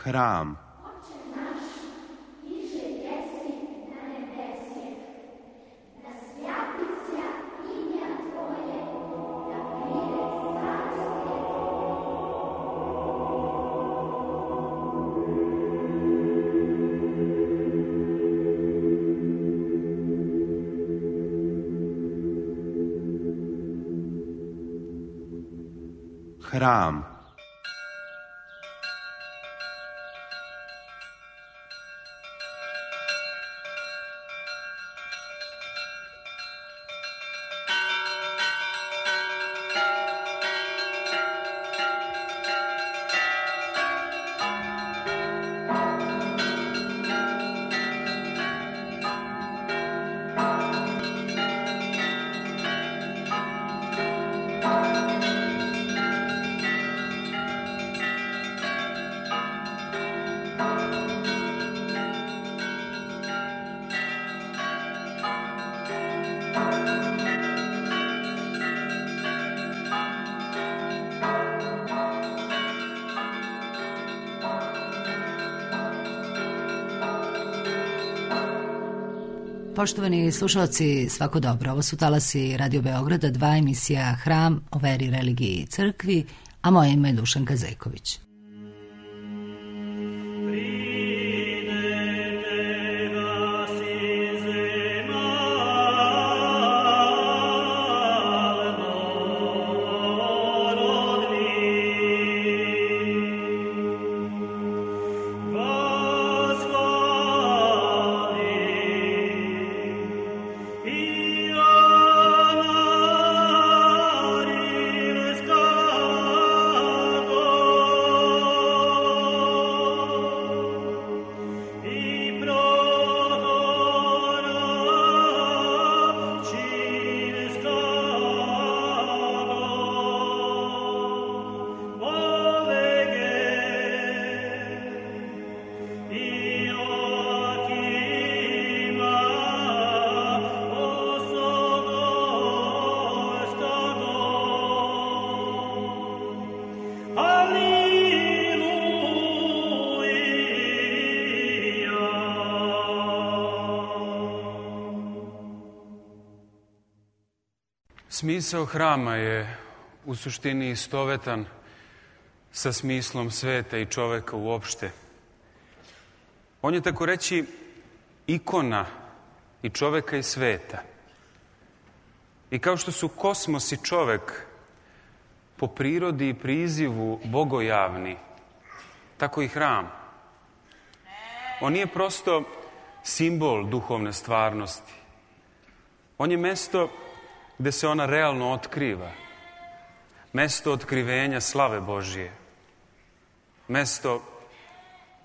Hram. Hram. Poštovani slušalci, svako dobro. Ovo su talasi Radio Beograda, 2 emisija Hram o veri, religiji i crkvi, a moje ime je Dušanka Zeković. Smisao hrama je u suštini istovetan sa smislom sveta i čoveka uopšte. On je tako reći ikona i čoveka i sveta. I kao što su kosmos i čovek po prirodi i prizivu bogojavni, tako i hram. On nije prosto simbol duhovne stvarnosti. On je mesto gde se ona realno otkriva. Mesto otkrivenja slave Božije. Mesto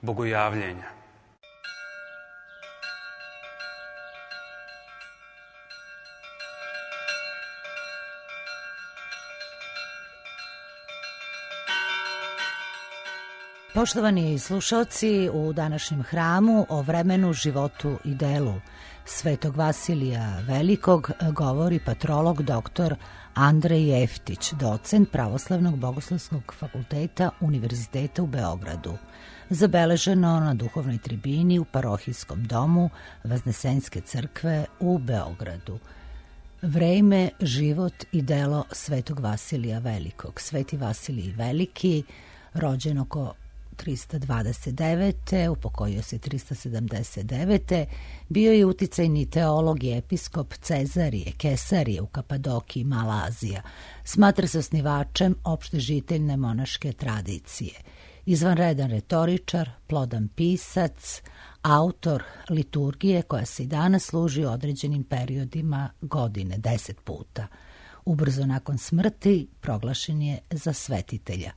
bogojavljenja. Poštovani slušalci, u današnjem hramu o vremenu, životu i delu Svetog Vasilija Velikog govori patrolog dr. Andrej Jeftić, docent Pravoslavnog bogoslovskog fakulteta Univerziteta u Beogradu. Zabeleženo na duhovnoj tribini u parohijskom domu Vaznesenske crkve u Beogradu. Vreme, život i delo Svetog Vasilija Velikog. Sveti Vasilij Veliki, rođen oko 329. upokojio se 379. bio je uticajni teolog i episkop Cezarije, Kesarije u Kapadokiji, Mala Azija. Smatra se osnivačem opštežiteljne monaške tradicije. Izvanredan retoričar, plodan pisac, autor liturgije koja se i danas služi u određenim periodima godine, 10 puta. Ubrzo nakon smrti proglašen je za svetitelja.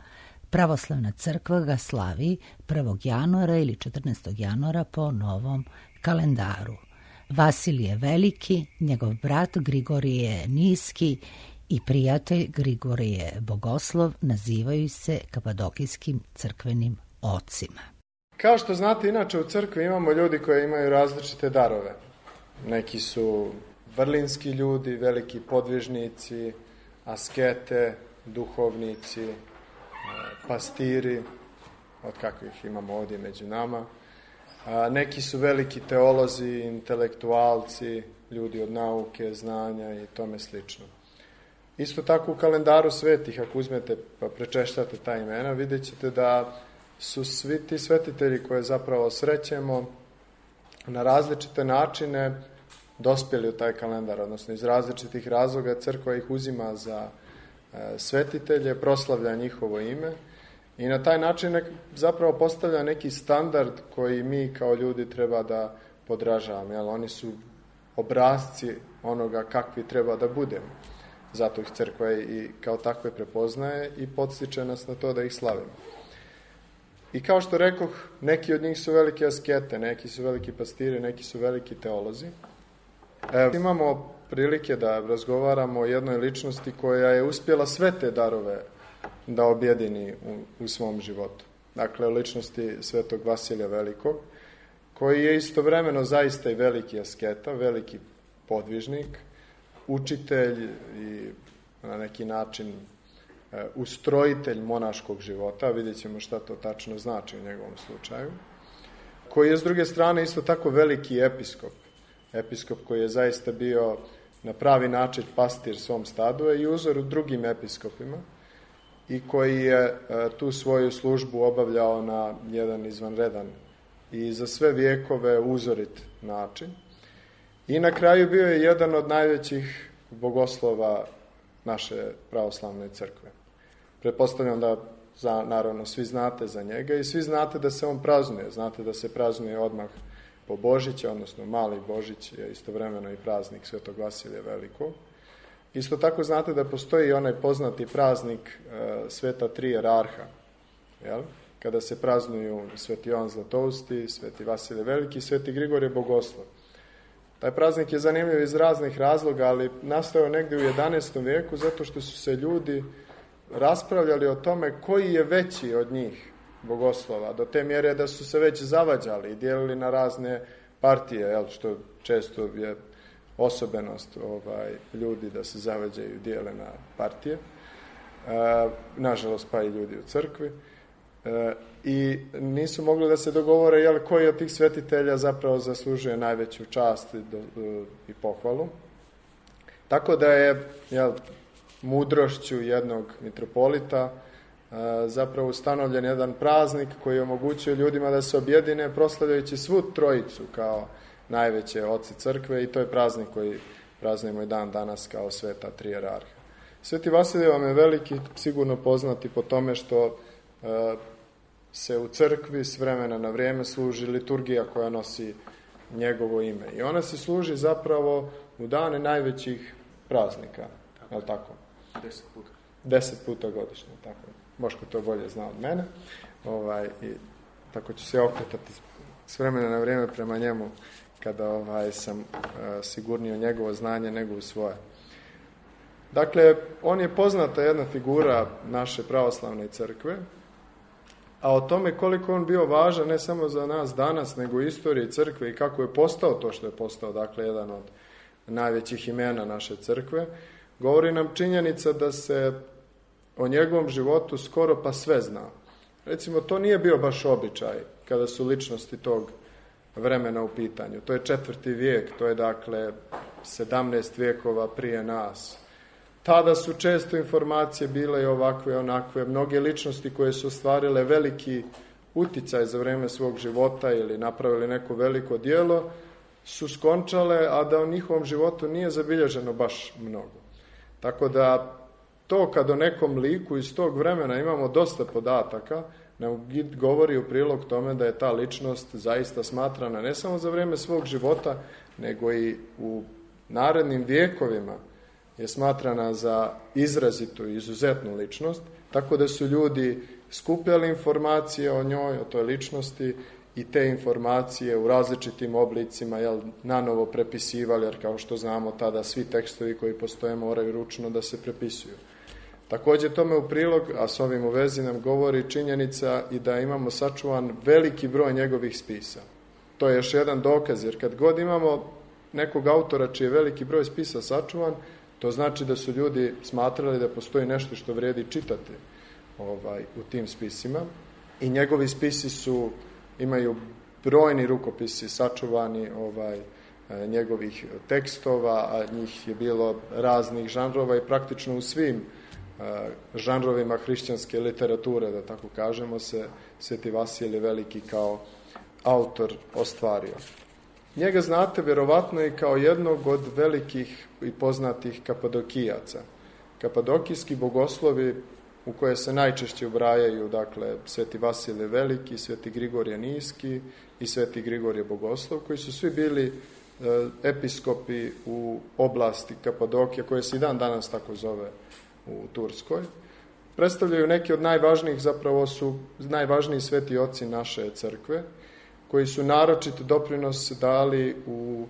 Pravoslavna crkva ga slavi 1. januara ili 14. januara po novom kalendaru. Vasilije Veliki, njegov brat Grigorije Niski i prijatelj Grigorije Bogoslov nazivaju se kapadokijskim crkvenim ocima. Kao što znate, inače u crkvi imamo ljudi koji imaju različite darove. Neki su vrlinski ljudi, veliki podvižnici, askete, duhovnici, pastiri, od kakvih imamo ovdje među nama. Neki su veliki teolozi, intelektualci, ljudi od nauke, znanja i tome slično. Isto tako u kalendaru svetih, ako uzmete pa prečešljate ta imena, vidjet ćete da su svi ti svetitelji koje zapravo srećemo na različite načine dospjeli u taj kalendar, odnosno iz različitih razloga crkva ih uzima za svetitelje, proslavlja njihovo ime i na taj način zapravo postavlja neki standard koji mi kao ljudi treba da podražavamo. Jel? Oni su obrazci onoga kakvi treba da budemo. Zato ih crkva i kao takve prepoznaje i podstiče nas na to da ih slavimo. I kao što rekoh, neki od njih su velike askete, neki su veliki pastiri, neki su veliki teolozi. Imamo prilike da razgovaramo o jednoj ličnosti koja je uspjela sve te darove da objedini u svom životu. Dakle, o ličnosti svetog Vasilija Velikog, koji je istovremeno zaista i veliki asketa, veliki podvižnik, učitelj i na neki način ustrojitelj monaškog života, vidjet ćemo šta to tačno znači u njegovom slučaju, koji je s druge strane isto tako veliki episkop, episkop koji je zaista bio na pravi način pastir svom stadu i uzor u drugim episkopima i koji je tu svoju službu obavljao na jedan izvanredan i za sve vijekove uzorit način. I na kraju bio je jedan od najvećih bogoslova naše pravoslavne crkve. Pretpostavljam da naravno svi znate za njega i svi znate da se on praznuje. Znate da se praznuje odmah po Božića, odnosno Mali Božić je istovremeno i praznik svetog Vasilija Velikog. Isto tako znate da postoji onaj poznati praznik sveta tri jerarha, jel? Kada se praznuju sveti Jovan Zlatousti, sveti Vasilije Veliki i sveti Grigorije Bogoslov. Taj praznik je zanimljiv iz raznih razloga, ali nastao negdje u 11. vijeku zato što su se ljudi raspravljali o tome koji je veći od njih bogoslova, do te mjere da su se već zavađali i dijelili na razne partije, jel, što često je osobenost ljudi da se zavađaju i dijele na partije, nažalost pa i ljudi u crkvi, i nisu mogli da se dogovore jel, koji od tih svetitelja zapravo zaslužuje najveću čast i pohvalu. Tako da je mudrošću jednog mitropolita zapravo ustanovljen jedan praznik koji je omogućio ljudima da se objedine proslavljajući svu trojicu kao najveće oci crkve i to je praznik koji praznujemo i dan danas kao sveta tri jerarha. Sveti Vasilij vam je veliki, sigurno poznati po tome što se u crkvi s vremena na vrijeme služi liturgija koja nosi njegovo ime. I ona se služi zapravo u dane najvećih praznika. Je li tako? 10 puta. 10 puta godišnje, tako. Boško to bolje zna od mene. I tako ću se okretati s vremena na vrijeme prema njemu kada sam sigurniji u njegovo znanje nego u svoje. Dakle, on je poznata jedna figura naše pravoslavne crkve, a o tome koliko on bio važan ne samo za nas danas, nego u istoriji crkve i kako je postao to što je postao, dakle, jedan od najvećih imena naše crkve, govori nam činjenica da se o njegovom životu skoro pa sve zna. Recimo, to nije bio baš običaj kada su ličnosti tog vremena u pitanju. To je 4. vijek, to je dakle 17 vijekova prije nas. Tada su često informacije bile i ovakve i onakve. Mnoge ličnosti koje su ostvarile veliki uticaj za vrijeme svog života ili napravili neko veliko djelo su skončale, a da u njihovom životu nije zabilježeno baš mnogo. Tako da to kad o nekom liku iz tog vremena imamo dosta podataka, nam govori u prilog tome da je ta ličnost zaista smatrana ne samo za vrijeme svog života, nego i u narednim vijekovima je smatrana za izrazitu i izuzetnu ličnost, tako da su ljudi skupljali informacije o njoj, o toj ličnosti i te informacije u različitim oblicima nanovo prepisivali, jer kao što znamo tada svi tekstovi koji postoje moraju ručno da se prepisuju. Također tome u prilog, a s ovim u vezi nam govori činjenica i da imamo sačuvan veliki broj njegovih spisa. To je još jedan dokaz, jer kad god imamo nekog autora čiji je veliki broj spisa sačuvan, to znači da su ljudi smatrali da postoji nešto što vrijedi čitati u tim spisima. i njegovi spisi imaju brojni rukopisi sačuvani njegovih tekstova, a njih je bilo raznih žanrova i praktično u svim žanrovima hrišćanske literature, da tako kažemo, se Sveti Vasilije Veliki kao autor ostvario. Njega znate vjerovatno i kao jednog od velikih i poznatih kapadokijaca. Kapadokijski bogoslovi u koje se najčešće ubrajaju, dakle, Sveti Vasilije Veliki, Sveti Grigorije Niski i Sveti Grigorije Bogoslov, koji su svi bili episkopi u oblasti Kapadokije, koje se i dan danas tako zove u Turskoj. Predstavljaju neki od najvažnijih, zapravo su najvažniji sveti oci naše crkve, koji su naročit doprinos dali u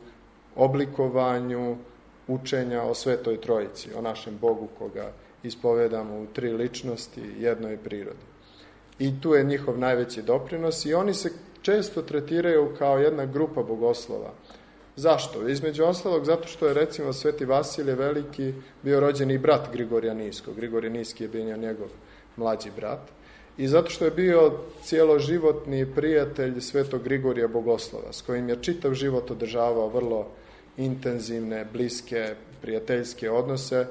oblikovanju učenja o Svetoj Trojici, o našem Bogu koga ispovedamo u tri ličnosti, jednoj prirodi. I tu je njihov najveći doprinos i oni se često tretiraju kao jedna grupa bogoslova. Zašto? Između ostalog zato što je recimo Sveti Vasilije Veliki bio rođeni brat Grigorija Niskog. Grigorije Niski je bio njegov mlađi brat. I zato što je bio cijeloživotni prijatelj Svetog Grigorija Bogoslova, s kojim je čitav život održavao vrlo intenzivne, bliske, prijateljske odnose,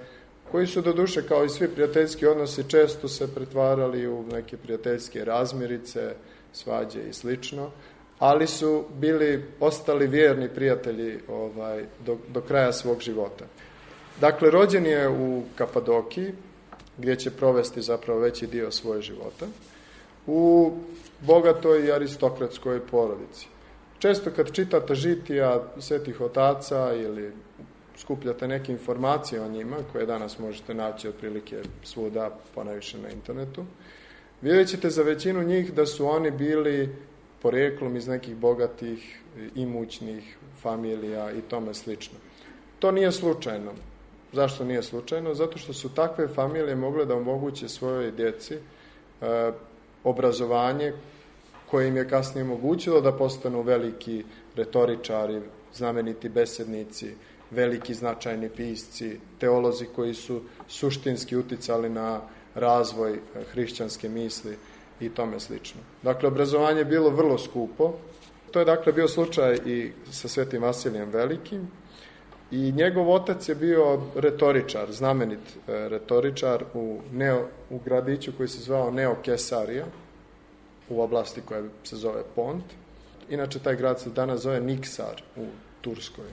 koji su doduše, kao i svi prijateljski odnosi, često se pretvarali u neke prijateljske razmirice, svađe i slično, ali su ostali vjerni prijatelji do kraja svog života. Dakle, rođen je u Kapadokiji, gdje će provesti zapravo veći dio svoje života, u bogatoj i aristokratskoj porodici. Često kad čitate žitija svetih otaca ili skupljate neke informacije o njima, koje danas možete naći otprilike svuda, ponajviše na internetu, vidjet ćete za većinu njih da su oni bili porijeklom iz nekih bogatih, imućnih familija i tome slično. To nije slučajno. Zašto nije slučajno? Zato što su takve familije mogle da omoguće svojoj djeci obrazovanje koje im je kasnije omogućilo da postanu veliki retoričari, znameniti besednici, veliki značajni pisci, teolozi koji su suštinski uticali na razvoj hrišćanske misli i tome slično. Dakle, obrazovanje je bilo vrlo skupo. To je dakle bio slučaj i sa Svetim Vasilijem Velikim. I njegov otac je bio retoričar, znamenit retoričar u gradiću koji se zvao Neokesarija, u oblasti koja se zove Pont. Inače, taj grad se danas zove Niksar u Turskoj.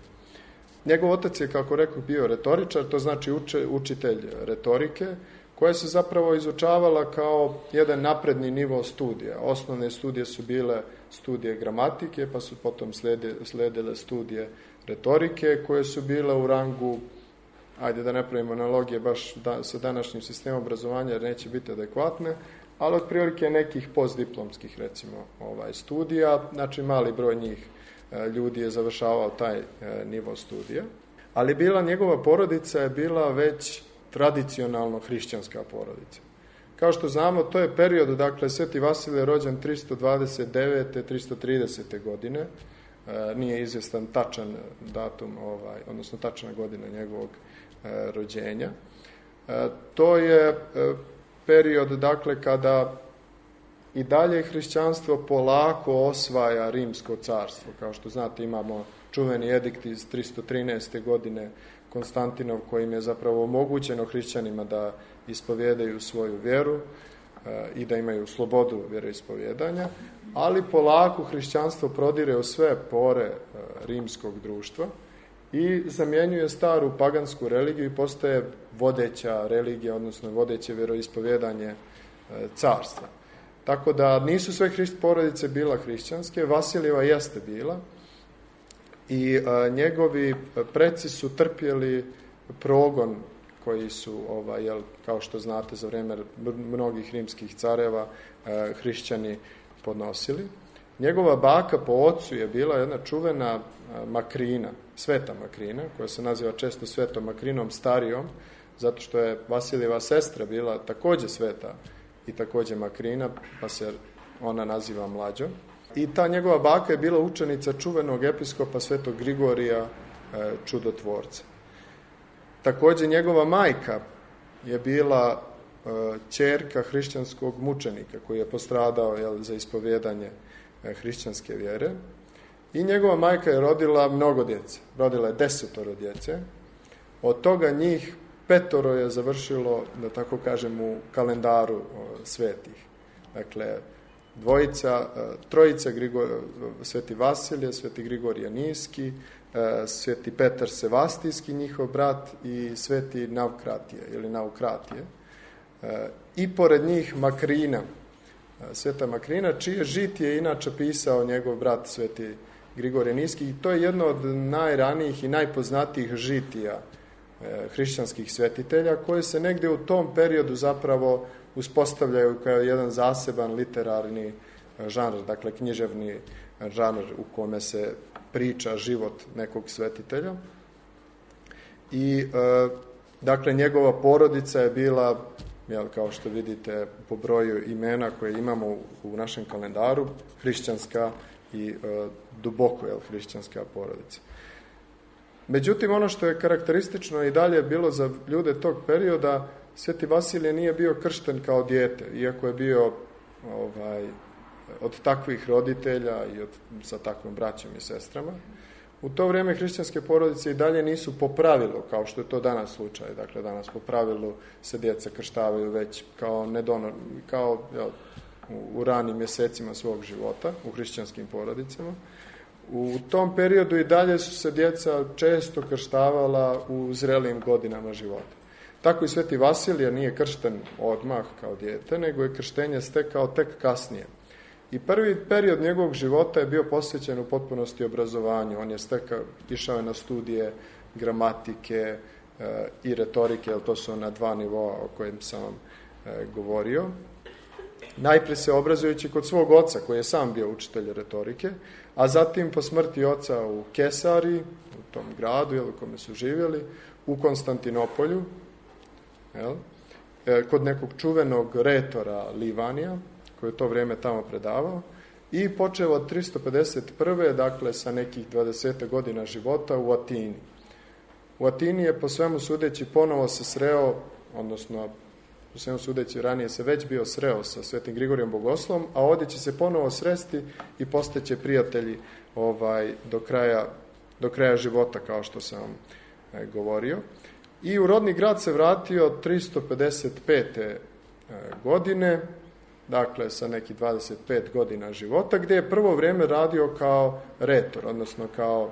Njegov otac je, kako rekao, bio retoričar, to znači učitelj retorike, koja se zapravo izučavala kao jedan napredni nivo studija. Osnovne studije su bile studije gramatike, pa su potom sledile studije retorike, koje su bile u rangu, ajde da ne pravimo analogije baš sa današnjim sistemom obrazovanja, jer neće biti adekvatne, ali otprilike nekih postdiplomskih, recimo, studija, znači mali broj njih ljudi je završavao taj nivo studija, ali njegova porodica je bila već tradicionalno hrišćanska porodica. Kao što znamo, to je period, dakle, Sveti Vasilije je rođen 329. 330. godine, nije izvjestan tačan datum, odnosno tačna godina njegovog rođenja. To je period, dakle, kada i dalje hrišćanstvo polako osvaja Rimsko carstvo. Kao što znate, imamo čuveni edikt iz 313. godine Konstantinov, kojim je zapravo omogućeno hrišćanima da ispovjedaju svoju vjeru i da imaju slobodu vjeroispovjedanja, ali polako hrišćanstvo prodire u sve pore rimskog društva i zamjenjuje staru pagansku religiju i postaje vodeća religija, odnosno vodeće vjeroispovjedanje carstva. Tako da nisu sve porodice bila hrišćanske, Vasilijeva jeste bila i njegovi preci su trpjeli progon koji su, kao što znate, za vrijeme mnogih rimskih careva hrišćani podnosili. Njegova baka po ocu je bila jedna čuvena Makrina, sveta Makrina, koja se naziva često svetom Makrinom starijom, zato što je Vasilijeva sestra bila također sveta i također Makrina, pa se ona naziva mlađom. I ta njegova baka je bila učenica čuvenog episkopa Svetog Grigorija Čudotvorca. Također njegova majka je bila ćerka hrišćanskog mučenika koji je postradao za ispovjedanje hrišćanske vjere. I njegova majka je rodila mnogo djece. Rodila je 10 djece. Od toga njih 5 je završilo, da tako kažem, u kalendaru svetih. Dakle, trojica, sveti Vasilije, sveti Grigorije Nijski, sveti Petar Sevastijski, njihov brat, i sveti Navkratije ili Naukratije. I pored njih Makrina, sveta Makrina, čije žitije je inače pisao njegov brat sveti Grigorije Nijski, i to je jedno od najranijih i najpoznatijih žitija hrišćanskih svetitelja, koje se negdje u tom periodu zapravo uspostavljaju kao jedan zaseban literarni žanr, dakle književni žanr u kome se priča život nekog svetitelja. I dakle njegova porodica je bila, kao što vidite po broju imena koje imamo u našem kalendaru, hrišćanska i duboko hrišćanska porodica. Međutim, ono što je karakteristično i dalje bilo za ljude tog perioda, sveti Vasilije nije bio kršten kao dijete, iako je bio od takvih roditelja i sa takvom braćom i sestrama. U to vrijeme hrišćanske porodice i dalje nisu po pravilu, kao što je to danas slučaj. Dakle, danas po pravilu se djeca krštavaju već kao u ranim mjesecima svog života, u hrišćanskim porodicama. U tom periodu i dalje su se djeca često krštavala u zrelijim godinama života. Tako i sveti Vasilije nije kršten odmah kao dijete, nego je krštenje stekao tek kasnije. I prvi period njegovog života je bio posvećen u potpunosti obrazovanju. On je išao na studije gramatike i retorike, jer to su na 2 nivoa o kojim sam vam govorio. Najprije se obrazujući kod svog oca, koji je sam bio učitelj retorike, a zatim po smrti oca u Kesari, u tom gradu u kome su živjeli, u Konstantinopolju, kod nekog čuvenog retora Livanija, koji je to vrijeme tamo predavao, i počeo od 351. dakle sa nekih 20 godina života u Atini. U Atini je po svemu sudeći ponovo se sreo, odnosno po svemu sudeći ranije se već bio sreo sa svetim Grigorijom Bogoslovom, a ovdje će se ponovo sresti i postaće prijatelji do kraja života, kao što sam vam govorio. I u rodni grad se vratio 355. godine, dakle sa nekih 25 godina života, gdje je prvo vrijeme radio kao retor, odnosno kao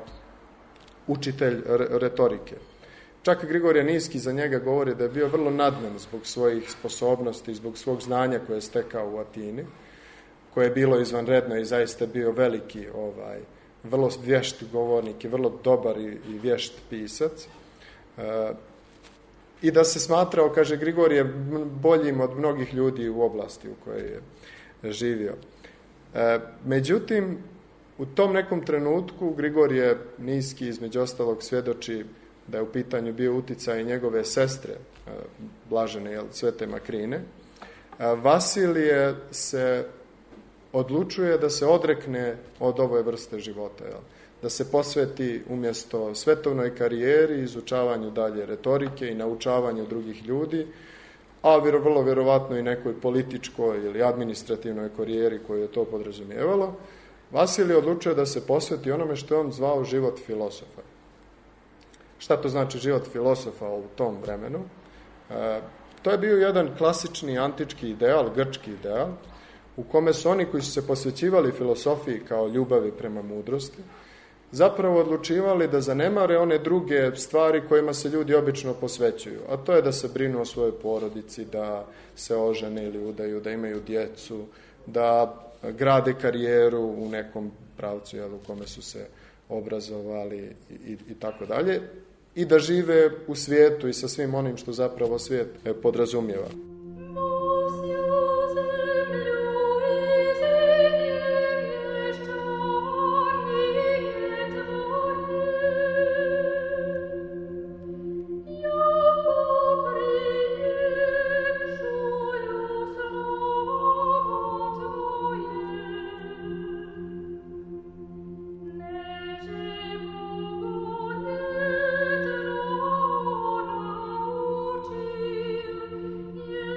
učitelj retorike. Čak Grigorije Nijski za njega govori da je bio vrlo nadmen zbog svojih sposobnosti, zbog svog znanja koje je stekao u Atini, koje je bilo izvanredno i zaista bio veliki, vrlo vješt govornik i vrlo dobar i vješt pisac. I da se smatrao, kaže Grigorije, boljim od mnogih ljudi u oblasti u kojoj je živio. Međutim, u tom nekom trenutku Grigorije Nijski između ostalog svjedoči da je u pitanju bio uticaj njegove sestre, blažene svete Makrine. Vasilije se odlučuje da se odrekne od ove vrste života, da se posveti umjesto svetovnoj karijeri, izučavanju dalje retorike i naučavanju drugih ljudi, a vrlo vjerovatno i nekoj političkoj ili administrativnoj karijeri koju je to podrazumijevalo. Vasilije odlučuje da se posveti onome što je on zvao život filosofa. Šta to znači život filosofa u tom vremenu? To je bio jedan klasični antički ideal, grčki ideal, u kome su oni koji su se posvećivali filosofiji kao ljubavi prema mudrosti, zapravo odlučivali da zanemare one druge stvari kojima se ljudi obično posvećuju, a to je da se brinu o svojoj porodici, da se ožene ili udaju, da imaju djecu, da grade karijeru u nekom pravcu u kome su se obrazovali i tako dalje, i da žive u svijetu i sa svim onim što zapravo svijet podrazumijeva. Yeah.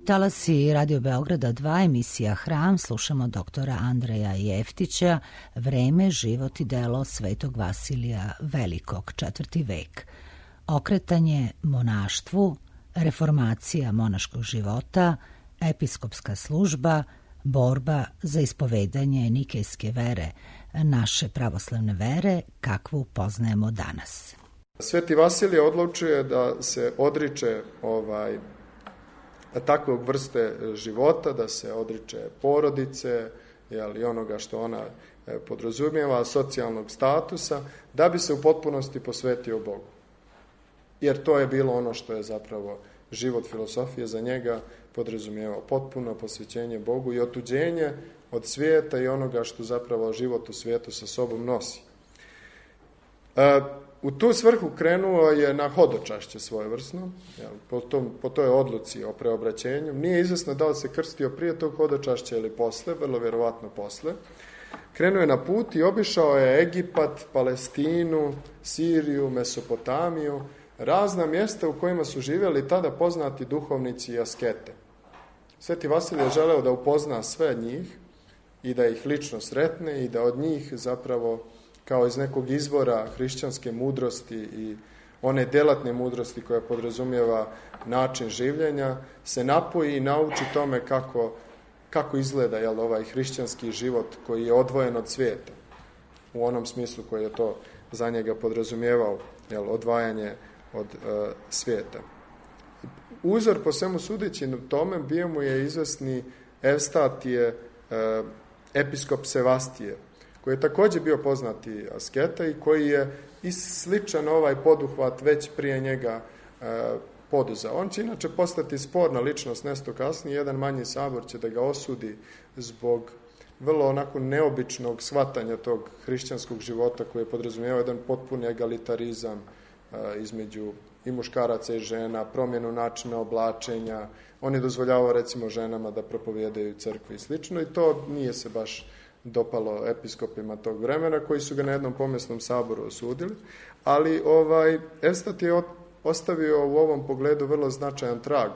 talasi Radio Beograda 2, emisija Hram, slušamo doktora Andreja Jeftića, Vreme, život i delo Svetog Vasilija Velikog, 4. vek. Okretanje monaštvu, reformacija monaškog života, episkopska služba, borba za ispovedanje nikejske vere, naše pravoslavne vere, kakvu poznajemo danas. Sveti Vasilije odlučuje da se odriče takvog vrste života, da se odriče porodice i onoga što ona podrazumijeva, socijalnog statusa, da bi se u potpunosti posvetio Bogu. Jer to je bilo ono što je zapravo život filosofije za njega podrazumijevao, potpuno posvećenje Bogu i otuđenje od svijeta i onoga što zapravo život u svijetu sa sobom nosi. U tu svrhu krenuo je na hodočašće svojevrsno, po toj odluci o preobraćenju. Nije izvesno da li se krstio prije tog hodočašća ili posle, vrlo vjerovatno posle. Krenuo je na put i obišao je Egipat, Palestinu, Siriju, Mesopotamiju, razna mjesta u kojima su živjeli tada poznati duhovnici i askete. Sveti Vasilije je želeo da upozna sve njih i da ih lično sretne i da od njih zapravo kao iz nekog izvora hrišćanske mudrosti i one delatne mudrosti koja podrazumijeva način življenja, se napoji i nauči tome kako izgleda ovaj hrišćanski život koji je odvojen od svijeta, u onom smislu koji je to za njega podrazumijevao, odvajanje od svijeta. Uzor po svemu sudeći tome bio mu je izvesni Evstatije, episkop Sevastije, koji je također bio poznati asketa i koji je i sličan ovaj poduhvat već prije njega poduzeo. On će inače postati sporna ličnost nešto kasnije, jedan manji sabor će da ga osudi zbog vrlo onako neobičnog shvatanja tog hrišćanskog života koji je podrazumijevao jedan potpuni egalitarizam između i muškaraca i žena, promjenu načina oblačenja. On je dozvoljavao recimo ženama da propovijedaju crkvi i slično i to nije se baš dopalo episkopima tog vremena koji su ga na jednom pomjesnom saboru osudili, ali Evstat je ostavio u ovom pogledu vrlo značajan trag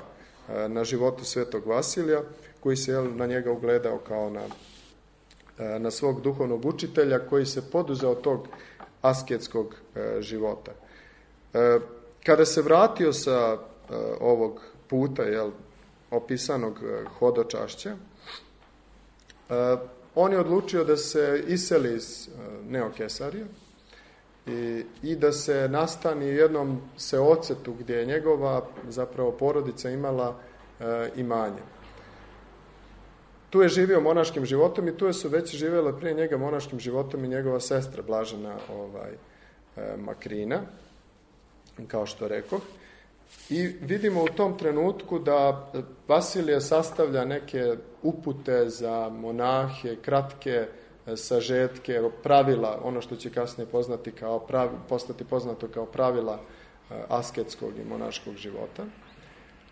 na životu Svetog Vasilija, koji se na njega ugledao kao na svog duhovnog učitelja koji se poduzeo tog asketskog života. Kada se vratio sa ovog puta opisanog hodočašća, on je odlučio da se iseli iz Neokesarija i da se nastani u jednom seocetu gdje je njegova zapravo porodica imala imanje. Tu je živio monaškim životom i tu su već živjela prije njega monaškim životom i njegova sestra Blažena Makrina, kao što rekoh. I vidimo u tom trenutku da Vasilije sastavlja neke upute za monahe, kratke sažetke, pravila, ono što će kasnije postati poznato kao pravila asketskog i monaškog života.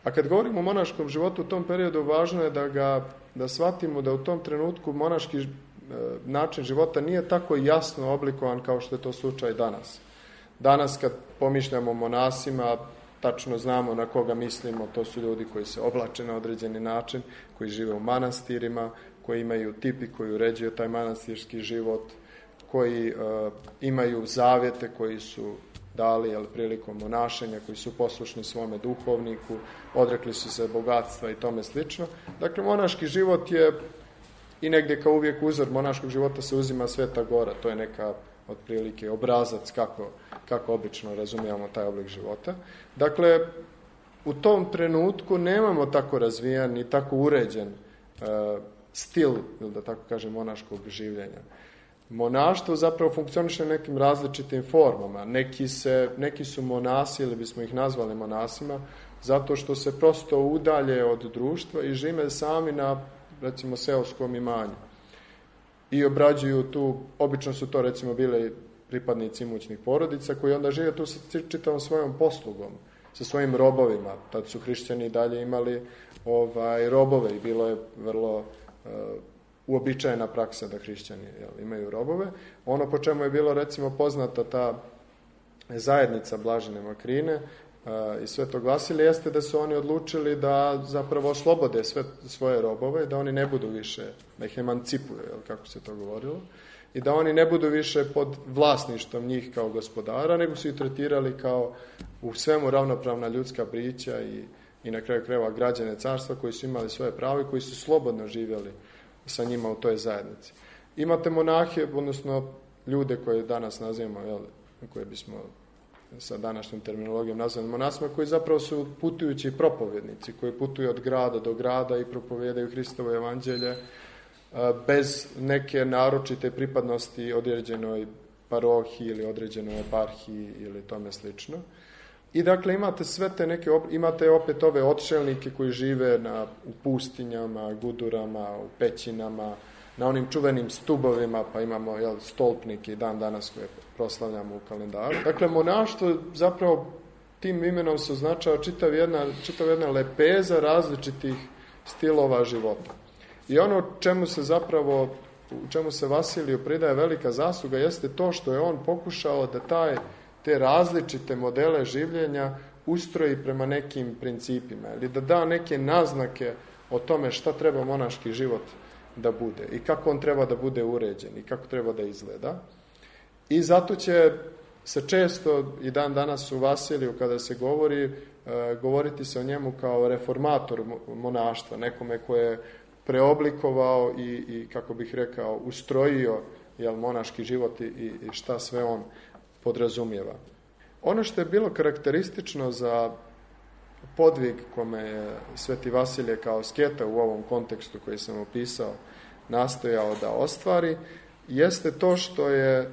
A kad govorimo o monaškom životu u tom periodu, važno je da shvatimo da u tom trenutku monaški način života nije tako jasno oblikovan kao što je to slučaj danas. Danas kad pomišljamo o monasima, tačno znamo na koga mislimo, to su ljudi koji se oblače na određeni način, koji žive u manastirima, koji imaju tipi koji uređuju taj manastirski život, koji imaju zavjete koji su dali prilikom monašenja, koji su poslušni svome duhovniku, odrekli su se bogatstva i tome slično. Dakle, monaški život je i negdje kao uvijek uzor monaškog života se uzima Sveta Gora, to je neka otprilike obrazac kako obično razumijemo taj oblik života. Dakle, u tom trenutku nemamo tako razvijan i tako uređen stil, da tako kažem, monaškog življenja. Monaštvo zapravo funkcioniše nekim različitim formama. Neki su monasi, ili bismo ih nazvali monasima, zato što se prosto udalje od društva i žive sami na, recimo, seoskom imanju. I obrađuju tu, obično su to recimo bile pripadnici imućnih porodica koji onda žive tu sa čitavom svojom poslugom, sa svojim robovima. Tad su hrišćani dalje imali robove i bilo je vrlo uobičajena praksa da hrišćani imaju robove. Ono po čemu je bilo recimo poznata ta zajednica Blažene Makrine i Svetog Vasilija jeste da su oni odlučili da zapravo oslobode sve svoje robove, da oni ne budu više, da ih emancipuju, kako se to govorilo, i da oni ne budu više pod vlasništvom njih kao gospodara, nego su ih tretirali kao u svemu ravnopravna ljudska bića i na kraju krajeva građane carstva koji su imali svoje pravo i koji su slobodno živjeli sa njima u toj zajednici. Imate monahe, odnosno ljude koje danas nazivamo, koje bismo sa današnjom terminologijom nazvali monasima, koji zapravo su putujući propovjednici, koji putuju od grada do grada i propovijedaju Hristovo evanđelje bez neke naročite pripadnosti određenoj parohiji ili određenoj eparhiji ili tome slično. I dakle imate sve te neke, imate opet ove odšelnike koji žive u pustinjama, gudurama, u pećinama, na onim čuvenim stubovima, pa imamo stolpnike i dan danas koje proslavljamo u kalendaru. Dakle, monaštvo zapravo tim imenom se označava čitav jedna lepeza različitih stilova života. I ono čemu se Vasiliju pridaje velika zasluga jeste to što je on pokušao da te različite modele življenja ustroji prema nekim principima ili da da neke naznake o tome šta treba monaški život da bude i kako on treba da bude uređen i kako treba da izgleda. I zato će se često i dan danas u Vasiliju kada se govoriti se o njemu kao reformator monaštva, nekome koje je preoblikovao i kako bih rekao, ustrojio monaški život i šta sve on podrazumijeva. Ono što je bilo karakteristično za podvig kome je Sveti Vasilije kao asketa u ovom kontekstu koji sam opisao nastojao da ostvari, jeste to što je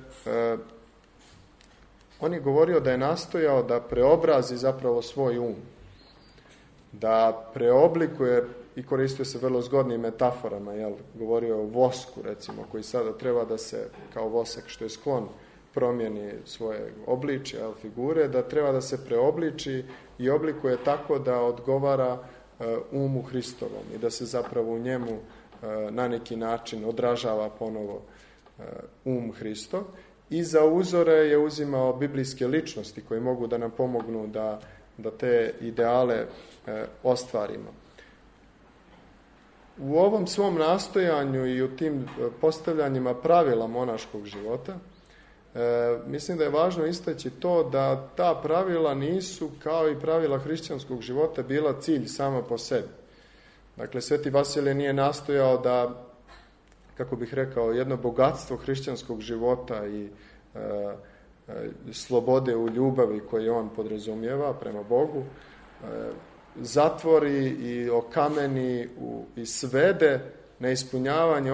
on je govorio da je nastojao da preobrazi zapravo svoj um, da preoblikuje i koristio se vrlo zgodnim metaforama, govorio o vosku recimo, koji sada treba da se kao vosak što je sklon promijeni svoje obličje, figure, da treba da se preobliči i oblikuje tako da odgovara umu Hristovom i da se zapravo u njemu na neki način odražava ponovo Hristov. I za uzore je uzimao biblijske ličnosti koje mogu da nam pomognu da te ideale ostvarimo. U ovom svom nastojanju i u tim postavljanjima pravila monaškog života mislim da je važno istaći to da ta pravila nisu kao i pravila hrišćanskog života bila cilj sama po sebi. Dakle, Sveti Vasilije nije nastojao da, kako bih rekao, jedno bogatstvo hrišćanskog života i slobode u ljubavi koje on podrazumijeva prema Bogu zatvori i okameni i svede na ispunjavanje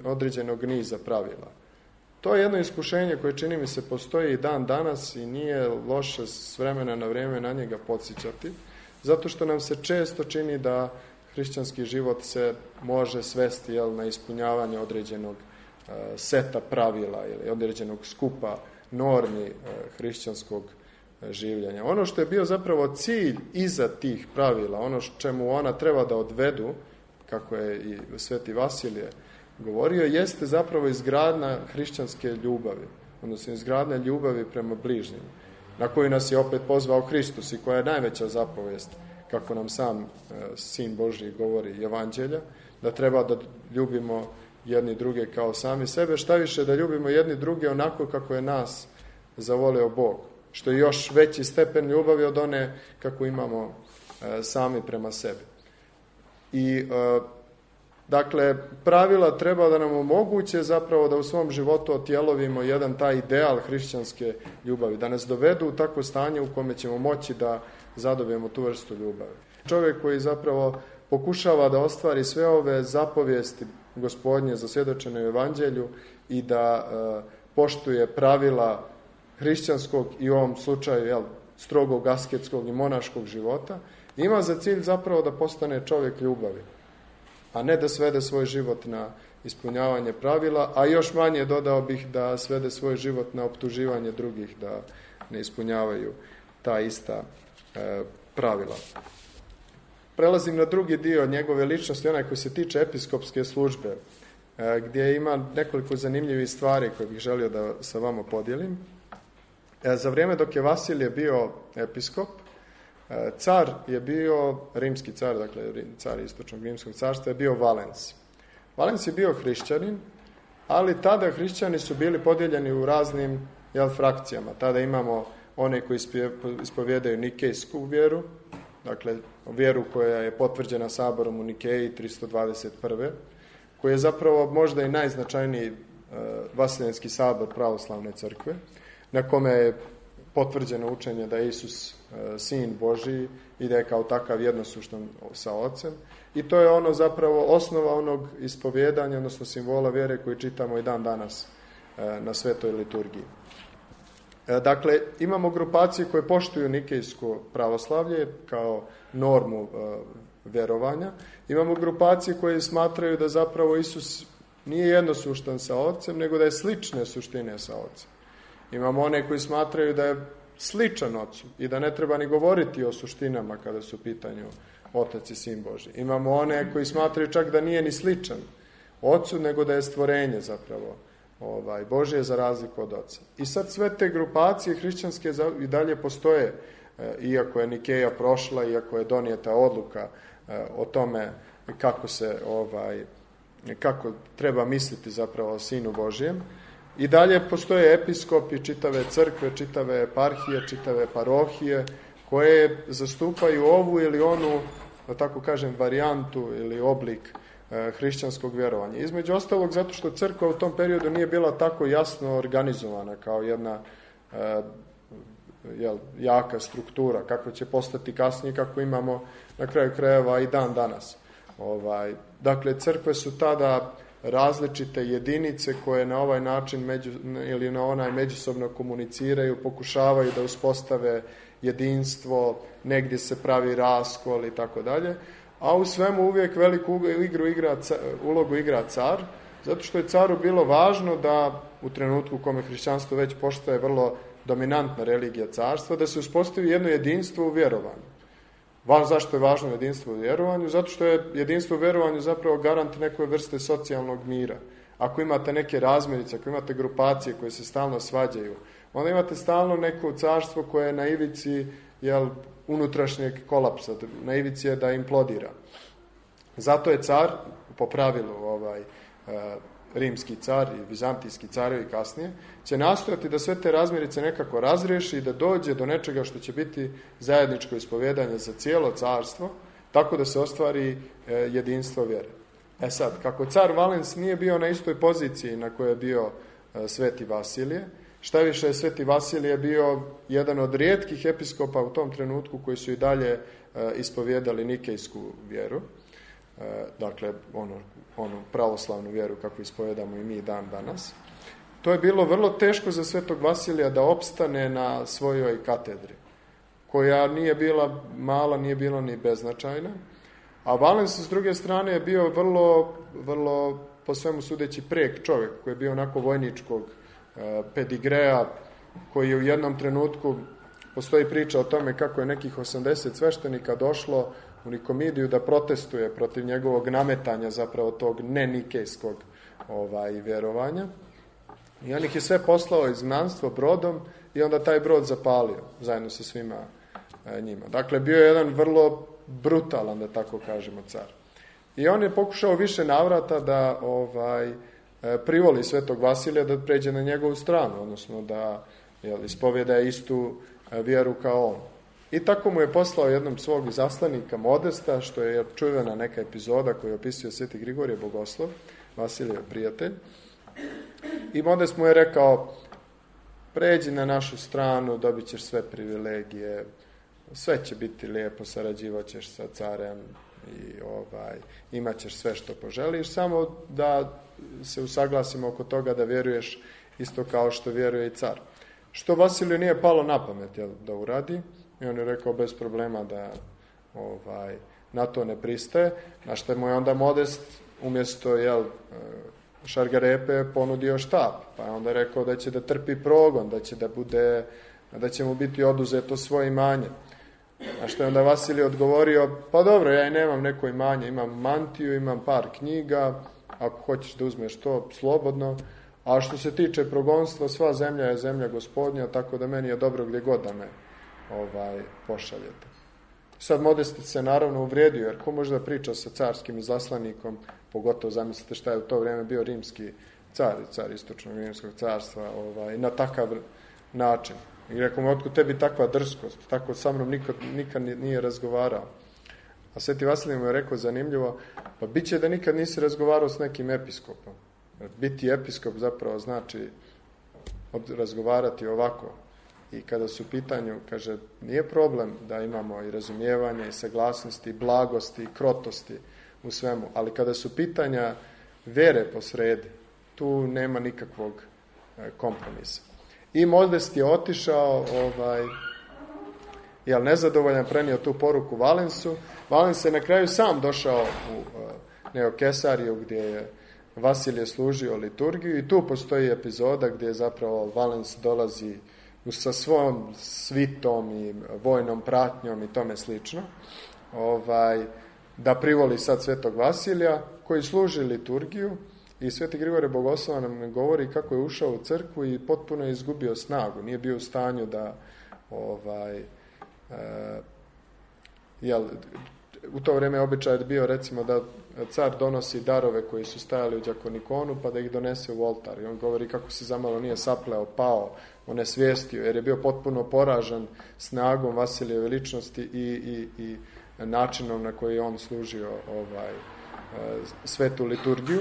određenog niza pravila. To je jedno iskušenje koje čini mi se postoji i dan danas i nije loše s vremena na vrijeme na njega podsjećati, zato što nam se često čini da hrišćanski život se može svesti na ispunjavanje određenog seta pravila ili određenog skupa normi hrišćanskog življenja. Ono što je bio zapravo cilj iza tih pravila, ono čemu ona treba da odvedu, kako je i Sveti Vasilije govorio, jeste zapravo izgradnja hrišćanske ljubavi, odnosno izgradnja ljubavi prema bližnjim, na koju nas je opet pozvao Hristos i koja je najveća zapovijest, kako nam sam Sin Božji govori Evanđelja, da treba da ljubimo jedni druge kao sami sebe, šta više da ljubimo jedni druge onako kako je nas zavoleo Bog, što je još veći stepen ljubavi od one kako imamo sami prema sebi. I dakle, pravila treba da nam omoguće zapravo da u svom životu otjelovimo jedan taj ideal hrišćanske ljubavi, da nas dovedu u takvo stanje u kome ćemo moći da zadobijemo tu vrstu ljubavi. Čovjek koji zapravo pokušava da ostvari sve ove zapovijesti Gospodnje zasvjedočene u Evanđelju i da poštuje pravila hrišćanskog i u ovom slučaju strogog asketskog i monaškog života, ima za cilj zapravo da postane čovjek ljubavi, a ne da svede svoj život na ispunjavanje pravila, a još manje dodao bih da svede svoj život na optuživanje drugih da ne ispunjavaju ta ista pravila. Prelazim na drugi dio njegove ličnosti, onaj koji se tiče episkopske službe, gdje ima nekoliko zanimljivih stvari koje bih želio da sa vama podijelim. Za vrijeme dok je Vasilije bio episkop, Car je bio, rimski car, dakle car istočnog rimskog carstva je bio Valens. Valens je bio hrišćanin, ali tada hrišćani su bili podijeljeni u raznim frakcijama. Tada imamo one koji ispovjedaju nikejsku vjeru, dakle vjeru koja je potvrđena saborom u Nikeji 321. koji je zapravo možda i najznačajniji Vaseljenski sabor pravoslavne crkve, na kome je potvrđeno učenje da je Isus sin Božiji i da je kao takav jednosuštan sa Ocem. I to je ono zapravo osnova onog ispovjedanja, odnosno simbola vjere koji čitamo i dan danas na svetoj liturgiji. Dakle, imamo grupacije koje poštuju nikejsko pravoslavlje kao normu vjerovanja. Imamo grupacije koje smatraju da zapravo Isus nije jednosuštan sa Ocem, nego da je slične suštine sa Ocem. Imamo one koji smatraju da je sličan Ocu i da ne treba ni govoriti o suštinama kada su u pitanju Otac i Sin Božji. Imamo one koji smatraju čak da nije ni sličan Ocu, nego da je stvorenje zapravo Božje za razliku od Oca. I sad sve te grupacije hrišćanske i dalje postoje, iako je Nikeja prošla, iako je donijeta odluka o tome kako treba misliti zapravo o Sinu Božjem. I dalje postoje episkopi, čitave crkve, čitave eparhije, čitave parohije, koje zastupaju ovu ili onu, da tako kažem, varijantu ili oblik hrišćanskog vjerovanja. Između ostalog, zato što crkva u tom periodu nije bila tako jasno organizovana kao jedna jaka struktura, kako će postati kasnije, kako imamo na kraju krajeva i dan danas. Dakle, crkve su tada različite jedinice koje na ovaj način ili na onaj međusobno komuniciraju, pokušavaju da uspostave jedinstvo, negdje se pravi raskol i tako dalje, a u svemu uvijek veliku ulogu igra car, zato što je caru bilo važno da u trenutku u kome hrišćanstvo već postaje vrlo dominantna religija carstva, da se uspostavi jedno jedinstvo u vjerovanju. Zašto je važno jedinstvo u vjerovanju? Zato što je jedinstvo u vjerovanju zapravo garant neke vrste socijalnog mira. Ako imate neke razmirice, ako imate grupacije koje se stalno svađaju, onda imate stalno neko carstvo koje je na ivici unutrašnjeg kolapsa, na ivici je da implodira. Zato je car, po pravilu rimski car i vizantijski carevi kasnije, će nastojati da sve te razmirice nekako razriješi i da dođe do nečega što će biti zajedničko ispovjedanje za cijelo carstvo, tako da se ostvari jedinstvo vjere. Sad, kako car Valens nije bio na istoj poziciji na kojoj je bio sveti Vasilije, šta više, sveti Vasilije bio jedan od rijetkih episkopa u tom trenutku koji su i dalje ispovjedali nikejsku vjeru, dakle onu pravoslavnu vjeru kako ispovedamo i mi dan danas. To je bilo vrlo teško za svetog Vasilija da opstane na svojoj katedri, koja nije bila mala, nije bila ni beznačajna, a Valens s druge strane je bio vrlo po svemu sudeći prek čovjek, koji je bio onako vojničkog pedigreja, koji je u jednom trenutku, postoji priča o tome kako je nekih 80 sveštenika došlo u Nikomidiju da protestuje protiv njegovog nametanja zapravo tog nenikejskog vjerovanja. I on ih je sve poslao izgnanstvo brodom i onda taj brod zapalio zajedno sa svima njima. Dakle, bio je jedan vrlo brutalan, da tako kažemo, car. I on je pokušao više navrata da privoli svetog Vasilija da pređe na njegovu stranu, odnosno da ispovjeda istu vjeru kao on. I tako mu je poslao jednom svog izaslanika Modesta, što je čuvena neka epizoda koju opisuje sveti Grigorije Bogoslov, Vasilijev prijatelj. I Modest mu je rekao, pređi na našu stranu, dobit ćeš sve privilegije, sve će biti lijepo, sarađivat ćeš sa carem i imat ćeš sve što poželiš, samo da se usaglasimo oko toga da vjeruješ isto kao što vjeruje i car. Što Vasiliju nije palo na pamet da uradi, i on je rekao bez problema da na to ne pristaje, na što mu je onda Modest umjesto šargarepe ponudio štap, pa je onda rekao da će da trpi progon, da će mu biti oduzeto svoje imanje. A što je onda Vasilij odgovorio, pa dobro, ja i nemam neko imanje, imam mantiju, imam par knjiga, ako hoćeš da uzmeš to, slobodno, a što se tiče progonstva, sva zemlja je zemlja Gospodnja, tako da meni je dobro gdje god da me pošaljete. Sad Modest se naravno uvrijedio, jer ko može da priča sa carskim izaslanikom, pogotovo zamislite šta je u to vrijeme bio rimski car istočnog rimskog carstva, na takav način. I rekao mu, otkud tebi takva drskost, tako sa mnom nikad nije razgovarao. A Sveti Vasilij mu je rekao zanimljivo, pa bit će da nikad nisi razgovarao s nekim episkopom. Biti episkop zapravo znači razgovarati ovako. I kada su u pitanju, kaže, nije problem da imamo i razumijevanje, i saglasnosti, i blagosti, i krotosti u svemu, ali kada su pitanja vere posredi, tu nema nikakvog kompromisa. I Modest je otišao, nezadovoljan, prenio tu poruku Valensu. Valens je na kraju sam došao u Neokesariju, gdje je Vasilije služio liturgiju, i tu postoji epizoda gdje zapravo Valens dolazi sa svojom svitom i vojnom pratnjom i tome slično, da privoli sad Svetog Vasilija, koji služi liturgiju, i Sveti Grigorije Bogoslova nam govori kako je ušao u crkvu i potpuno je izgubio snagu, nije bio u stanju da u to vrijeme običaj je bio, recimo, da car donosi darove koji su stajali u đakonikonu, pa da ih donese u oltar. I on govori kako se zamalo nije sapleo, pao, onesvijestio, jer je bio potpuno poražen snagom Vasilijeve ličnosti i načinom na koji je on služio svetu liturgiju.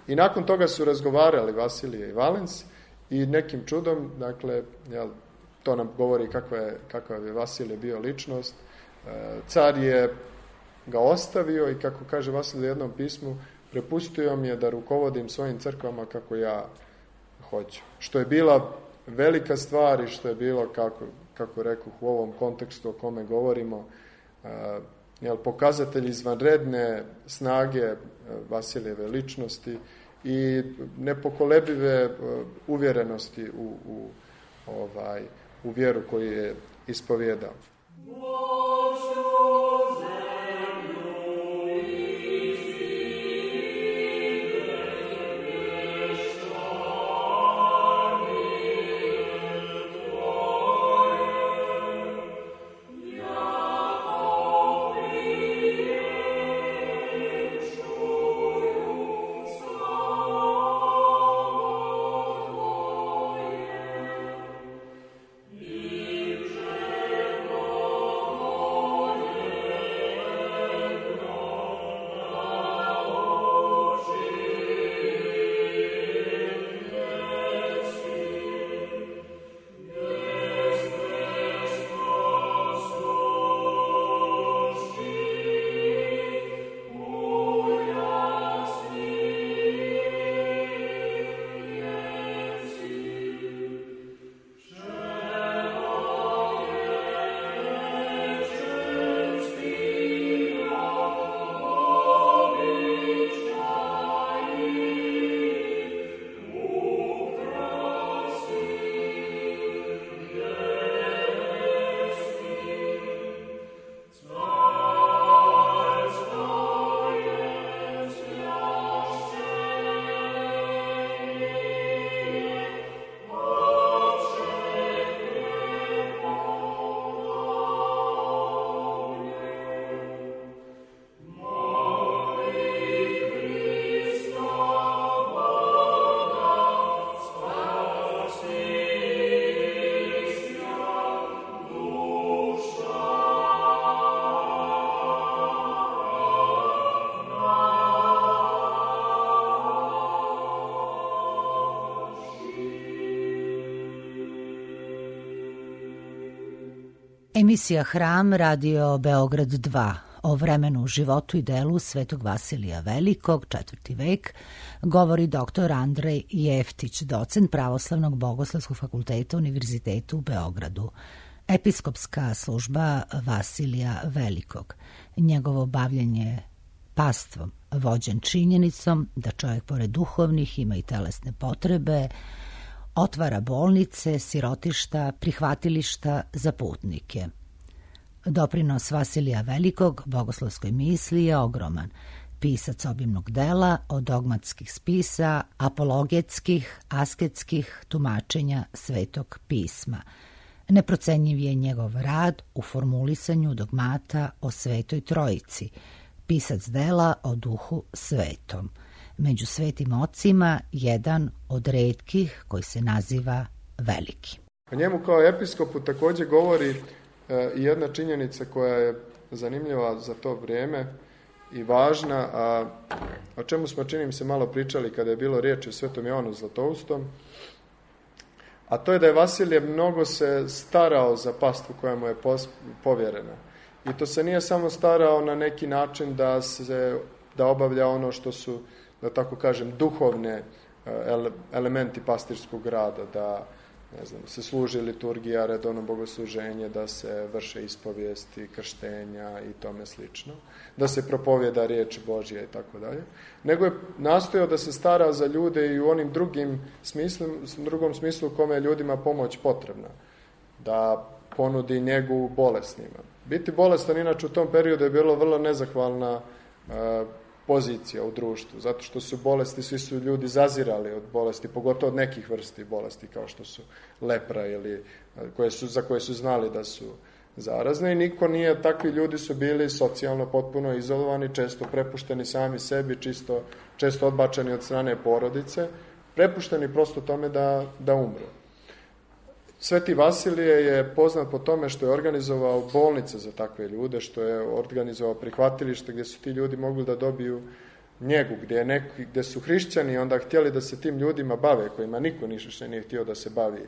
I nakon toga su razgovarali Vasilije i Valens i nekim čudom, dakle, to nam govori kakva je Vasilije bio ličnost. Car je ga ostavio i, kako kaže Vasilije u jednom pismu, prepustio mi je da rukovodim svojim crkvama kako ja hoću. Što je bila velika stvar i što je bilo, kako rekoh, u ovom kontekstu o kome govorimo, pokazatelj izvanredne snage Vasilijeve ličnosti i nepokolebive uvjerenosti u vjeru koju je ispovjedao. Emisija Hram, Radio Beograd 2, o vremenu, životu i delu Svetog Vasilija Velikog, 4. vek, govori dr. Andrej Jeftić, docent Pravoslavnog bogoslovskog fakulteta Univerziteta u Beogradu. Episkopska služba Vasilija Velikog, njegovo bavljenje pastvom, vođen činjenicom da čovjek pored duhovnih ima i telesne potrebe, otvara bolnice, sirotišta, prihvatilišta za putnike. Doprinos Vasilija Velikog bogoslovskoj misli je ogroman. Pisac obimnog dela, od dogmatskih spisa, apologetskih, asketskih tumačenja Svetog pisma. Neprocenjiv je njegov rad u formulisanju dogmata o Svetoj Trojici, pisac dela o Duhu Svetom. Među svetim ocima jedan od retkih koji se naziva Veliki. O njemu kao episkopu također govori i jedna činjenica koja je zanimljiva za to vrijeme i važna, a o čemu smo, čini mi se, malo pričali kada je bilo riječi o Svetom Jovanu Zlatoustom, a to je da je Vasilije mnogo se starao za pastvu koja mu je povjerena. I to se nije samo starao na neki način da obavlja ono što su, da tako kažem, duhovne elementi pastirskog rada, da se služi liturgija, redovno bogosluženje, da se vrše ispovijesti, krštenja i tome slično, da se propovjeda riječ Božja i tako dalje, nego je nastojao da se stara za ljude i u onim drugom smislu u kome je ljudima pomoć potrebna, da ponudi njegu bolesnima. Biti bolestan inače u tom periodu je bilo vrlo nezahvalna pozicija u društvu, zato što su bolesti, svi su ljudi zazirali od bolesti, pogotovo od nekih vrsti bolesti, kao što su lepra ili za koje su znali da su zarazne, i niko nije, takvi ljudi su bili socijalno potpuno izolovani, često prepušteni sami sebi, često odbačeni od strane porodice, prepušteni prosto tome da umru. Sveti Vasilije je poznat po tome što je organizovao bolnice za takve ljude, što je organizovao prihvatilište gdje su ti ljudi mogli da dobiju njegu, gdje su hrišćani onda htjeli da se tim ljudima bave, kojima niko nije htio da se bavi,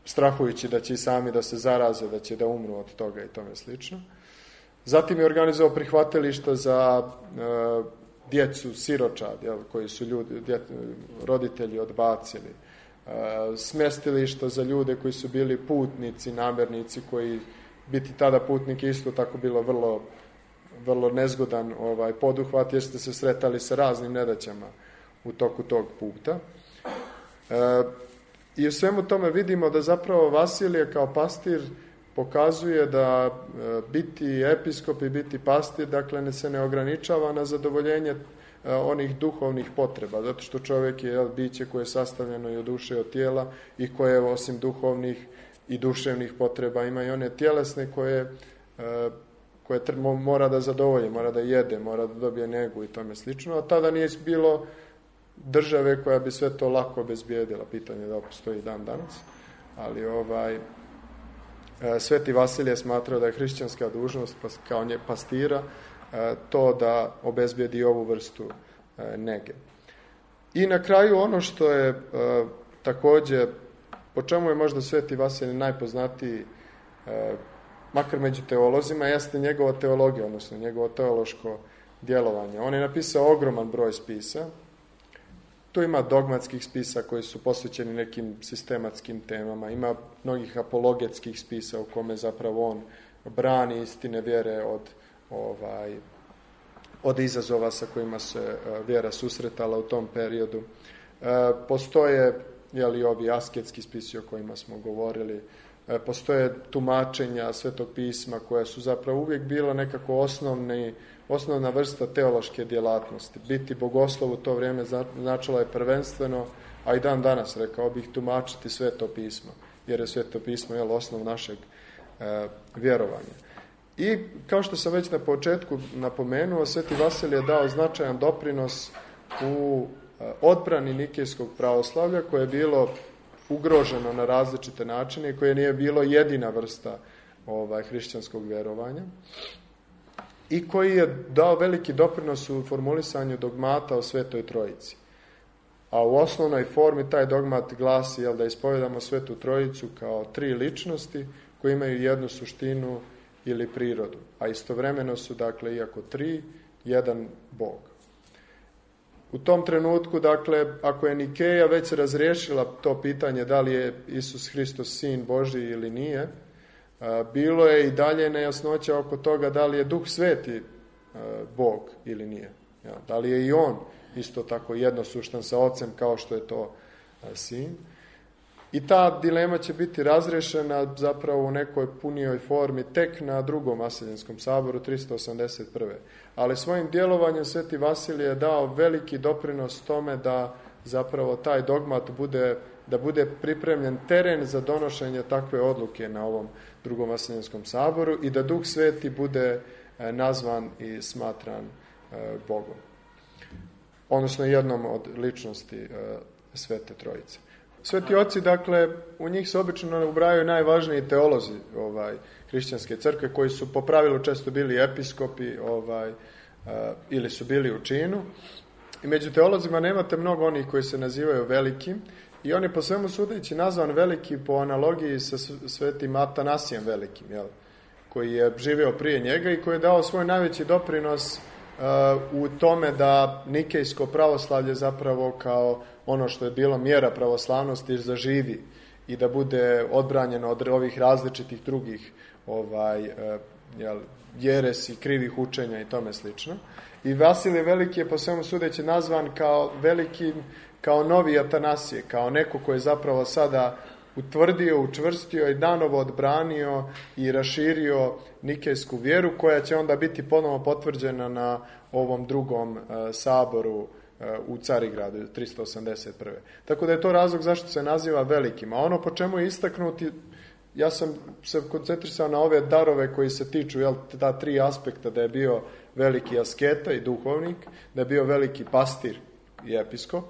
strahujući da će i sami da se zaraze, da će da umru od toga i tome slično. Zatim je organizovao prihvatilišta za djecu siročad, koji su roditelji odbacili. Smjestilišta za ljude koji su bili putnici, namernici, koji biti tada putnik isto tako bilo vrlo nezgodan poduhvat, jer ste se sretali sa raznim nedaćama u toku tog puta. I u svemu tome vidimo da zapravo Vasilije kao pastir pokazuje da biti episkop i biti pastir, dakle, se ne ograničava na zadovoljenje onih duhovnih potreba, zato što čovjek je biće koje je sastavljeno i od duše i od tijela i koje osim duhovnih i duševnih potreba ima i one tjelesne koje mora da zadovolji, mora da jede, mora da dobije njegu i tome slično, a tada nije bilo države koja bi sve to lako obezbijedila. Pitanje da postoji dan danas, ali Sveti Vasilije smatrao da je hrišćanska dužnost kao pastira to da obezbijedi ovu vrstu nege. I na kraju ono što je također, po čemu je možda Sveti Vasilije najpoznatiji, makar među teolozima, jeste njegova teologija, odnosno njegovo teološko djelovanje. On je napisao ogroman broj spisa. Tu ima dogmatskih spisa koji su posvećeni nekim sistematskim temama, ima mnogih apologetskih spisa u kome zapravo on brani istine vjere od izazova sa kojima se vjera susretala u tom periodu. Postoje ovi asketski spisi o kojima smo govorili, postoje tumačenja Svetog pisma koja su zapravo uvijek bila nekako osnovna vrsta teološke djelatnosti. Biti bogoslov u to vrijeme značilo je prvenstveno, a i dan danas, rekao bih, tumačiti Sveto pismo, jer je Sveto pismo osnov našeg vjerovanja. I kao što sam već na početku napomenuo, Sveti Vasilije je dao značajan doprinos u odbrani nikejskog pravoslavlja, koje je bilo ugroženo na različite načine i koje nije bilo jedina vrsta hrišćanskog vjerovanja, i koji je dao veliki doprinos u formulisanju dogmata o Svetoj Trojici. A u osnovnoj formi taj dogmat glasi da ispovedamo Svetu Trojicu kao tri ličnosti koje imaju jednu suštinu ili prirodu, a istovremeno su, dakle, iako tri, jedan Bog. U tom trenutku, dakle, ako je Nikeja već razriješila to pitanje da li je Isus Hristos sin Božji ili nije, bilo je i dalje nejasnoća oko toga da li je Duh Sveti Bog ili nije. Da li je i on isto tako jednosuštan sa Ocem kao što je to sin. I ta dilema će biti razrešena zapravo u nekoj punijoj formi tek na drugom Vasiljenskom saboru 381. Ali svojim djelovanjem Sveti Vasilije je dao veliki doprinos tome da zapravo taj dogmat bude da bude pripremljen teren za donošenje takve odluke na ovom Drugom Vaseljenskom saboru i da Duh Sveti bude nazvan i smatran Bogom. Odnosno jednom od ličnosti Svete Trojice. Sveti oci, dakle, u njih se obično ubrajaju najvažniji teolozi hrišćanske crkve, koji su po pravilu često bili episkopi ili su bili u činu. I među teolozima nemate mnogo onih koji se nazivaju velikim, i on je po svemu sudeći nazvan veliki po analogiji sa svetim Atanasijem Velikim, koji je živio prije njega i koji je dao svoj najveći doprinos u tome da nikejsko pravoslavlje zapravo kao ono što je bilo mjera pravoslavnosti zaživi i da bude odbranjeno od ovih različitih drugih jeresi, krivih učenja i tome slično. I Vasilije Veliki je po svemu sudeći nazvan kao veliki, kao novi Atanasije, kao neko koji je zapravo sada utvrdio, učvrstio i danovo odbranio i raširio nikejsku vjeru, koja će onda biti ponovo potvrđena na ovom drugom saboru u Carigradu 381. Tako da je to razlog zašto se naziva velikim. A ono po čemu je istaknuti, ja sam se koncentrisao na ove darove koji se tiču ta tri aspekta, da je bio veliki asketa i duhovnik, da je bio veliki pastir i episkop,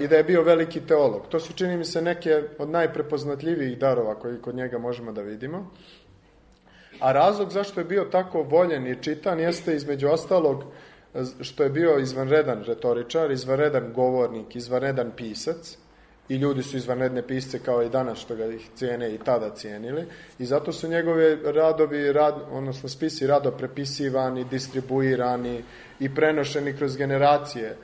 i da je bio veliki teolog. To su, čini mi se, neke od najprepoznatljivijih darova koji kod njega možemo da vidimo. A razlog zašto je bio tako voljen i čitan jeste između ostalog što je bio izvanredan retoričar, izvanredan govornik, izvanredan pisac, i ljudi su izvanredne pisce kao i danas što ga ih cijene i tada cijenili, i zato su njegove radovi, odnosno spisi rado prepisivani, distribuirani i prenošeni kroz generacije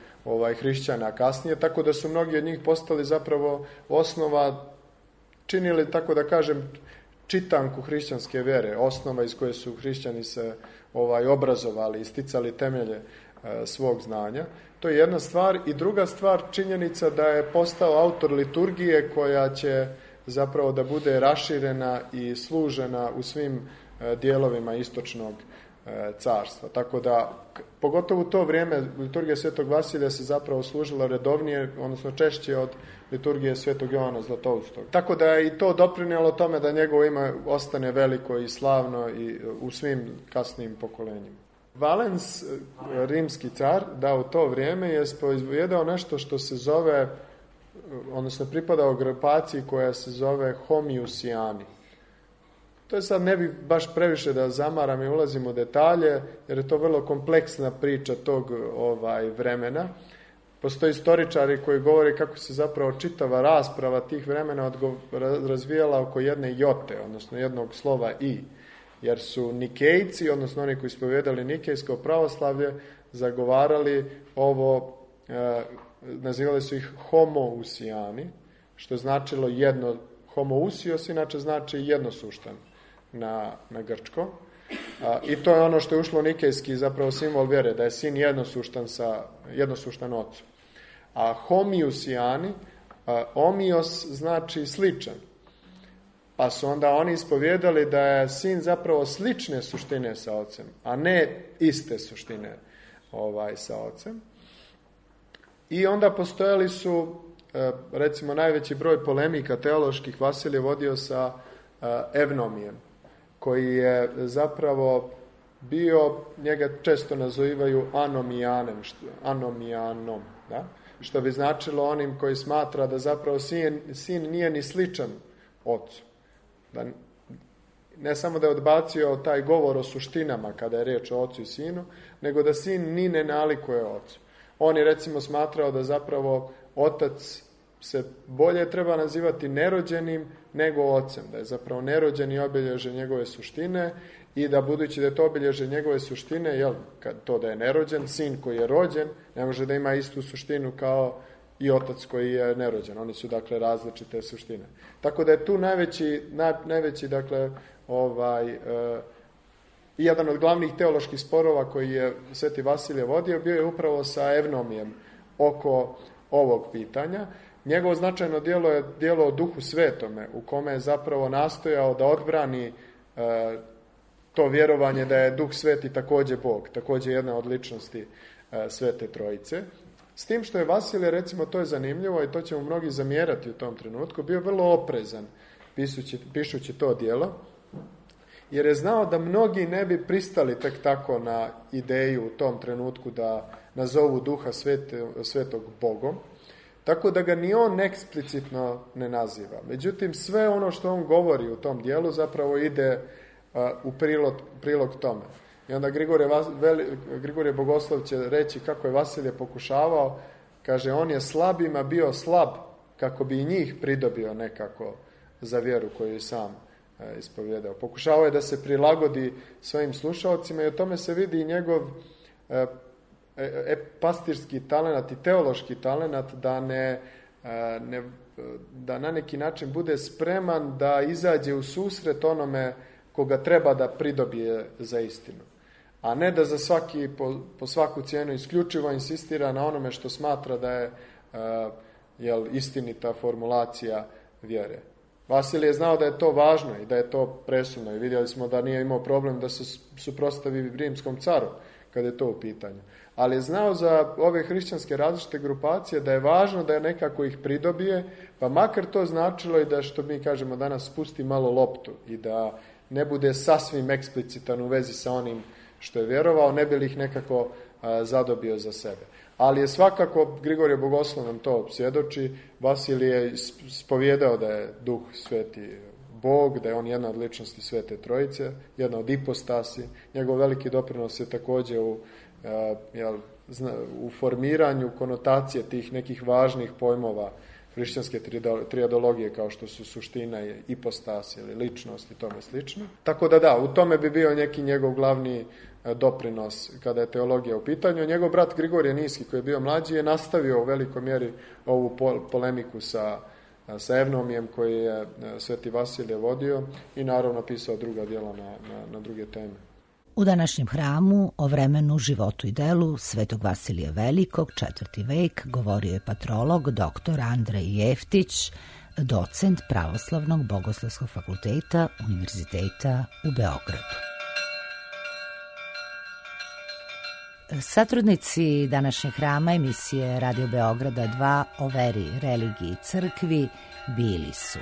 hrišćana kasnije, tako da su mnogi od njih postali zapravo osnova, činili, tako da kažem, čitanku hrišćanske vere, osnova iz koje su hrišćani se obrazovali i sticali temelje svog znanja. To je jedna stvar. I druga stvar, činjenica da je postao autor liturgije koja će zapravo da bude raširena i služena u svim dijelovima istočnog carstva. Tako da, pogotovo u to vrijeme, liturgija Svetog Vasilija se zapravo služila redovnije, odnosno češće od liturgije Svetog Jovana Zlatoustog. Tako da je i to doprinijelo tome da njegovo ime ostane veliko i slavno i u svim kasnijim pokolenjima. Valens, rimski car, da u to vrijeme je proizvedao nešto što se zove, odnosno pripadao grupaciji koja se zove homiusijani. To je sad, ne bih baš previše da zamaram i ulazim u detalje, jer je to vrlo kompleksna priča tog vremena. Postoje istoričari koji govore kako se zapravo čitava rasprava tih vremena razvijala oko jedne jote, odnosno jednog slova i. Jer su Nikejci, odnosno oni koji ispovijedali nikejsko pravoslavlje, zagovarali ovo, nazivali su ih homousijani, što značilo jedno, homousios inače znači jednosuštan na grčko. I to je ono što je ušlo u nikejski zapravo simbol vjere, da je sin jednosuštan ocu. A homiusijani, omios znači sličan. Pa su onda oni ispovijedali da je sin zapravo slične suštine sa ocem, a ne iste suštine sa ocem. I onda postojali su, recimo, najveći broj polemika teoloških Vasilije vodio sa Evnomijem, koji je zapravo bio, njega često nazivaju anomijanom, da? Što bi značilo onim koji smatra da zapravo sin nije ni sličan ocu. Da ne samo da je odbacio taj govor o suštinama kada je riječ o ocu i sinu, nego da sin ni ne nalikuje ocu. On je, recimo, smatrao da zapravo otac se bolje treba nazivati nerođenim nego ocem, da je zapravo nerođeni obilježe njegove suštine i da, budući da je to obilježe njegove suštine, to da je nerođen, sin koji je rođen ne može da ima istu suštinu kao i otac koji je nerođen. Oni su, dakle, različite suštine. Tako da je tu najveći dakle, jedan od glavnih teoloških sporova koji je Sveti Vasilije vodio bio je upravo sa Evnomijem oko ovog pitanja. Njegovo značajno djelo je djelo o Duhu Svetome, u kome je zapravo nastojao da odbrani to vjerovanje da je Duh Sveti također Bog, također jedna od ličnosti Svete Trojice. S tim što je Vasilije, recimo, to je zanimljivo i to će mu mnogi zamjerati u tom trenutku, bio vrlo oprezan pišući to djelo, jer je znao da mnogi ne bi pristali tek tako na ideju u tom trenutku da nazovu Duha Svetog Bogom, tako da ga ni on eksplicitno ne naziva. Međutim, sve ono što on govori u tom dijelu zapravo ide u prilog tome. I onda Grigorije Bogoslov će reći kako je Vasilije pokušavao, kaže, on je slabima bio slab kako bi i njih pridobio nekako za vjeru koju je sam ispovjedao. Pokušavao je da se prilagodi svojim slušalcima i o tome se vidi i njegov pastirski talenat i teološki talenat da na neki način bude spreman da izađe u susret onome koga treba da pridobije za istinu. A ne da za po svaku cijenu isključivo insistira na onome što smatra da je istinita formulacija vjere. Vasilije je znao da je to važno i da je to presudno i vidjeli smo da nije imao problem da se suprotstavi rimskom caru kada je to u pitanju. Ali je znao za ove hrišćanske različite grupacije da je važno da je nekako ih pridobije, pa makar to značilo i da, što mi kažemo danas, spusti malo loptu i da ne bude sasvim eksplicitan u vezi sa onim što je vjerovao, ne bi li ih nekako zadobio za sebe. Ali je svakako, Grigorije Bogoslov nam to svjedoči, Vasilije je spovjedao da je Duh Sveti Bog, da je on jedna od ličnosti Svete Trojice, jedna od ipostasi. Njegov veliki doprinos je također u formiranju konotacije tih nekih važnih pojmova hrišćanske triadologije, kao što su suština i ipostas ili ličnost i tome slično. Tako da, u tome bi bio neki njegov glavni doprinos kada je teologija u pitanju. Njegov brat Grigorije Niski, koji je bio mlađi, je nastavio u velikoj mjeri ovu polemiku sa Evnomijem koji je Sveti Vasilije vodio i naravno pisao druga djela na druge teme. U današnjem hramu o vremenu, životu i delu Svetog Vasilija Velikog, 4. vek, govorio je patrolog dr. Andrej Jeftić, docent Pravoslavnog bogoslovskog fakulteta Univerziteta u Beogradu. Satrudnici današnjeg hrama emisije Radio Beograda 2 o veri, religiji i crkvi bili su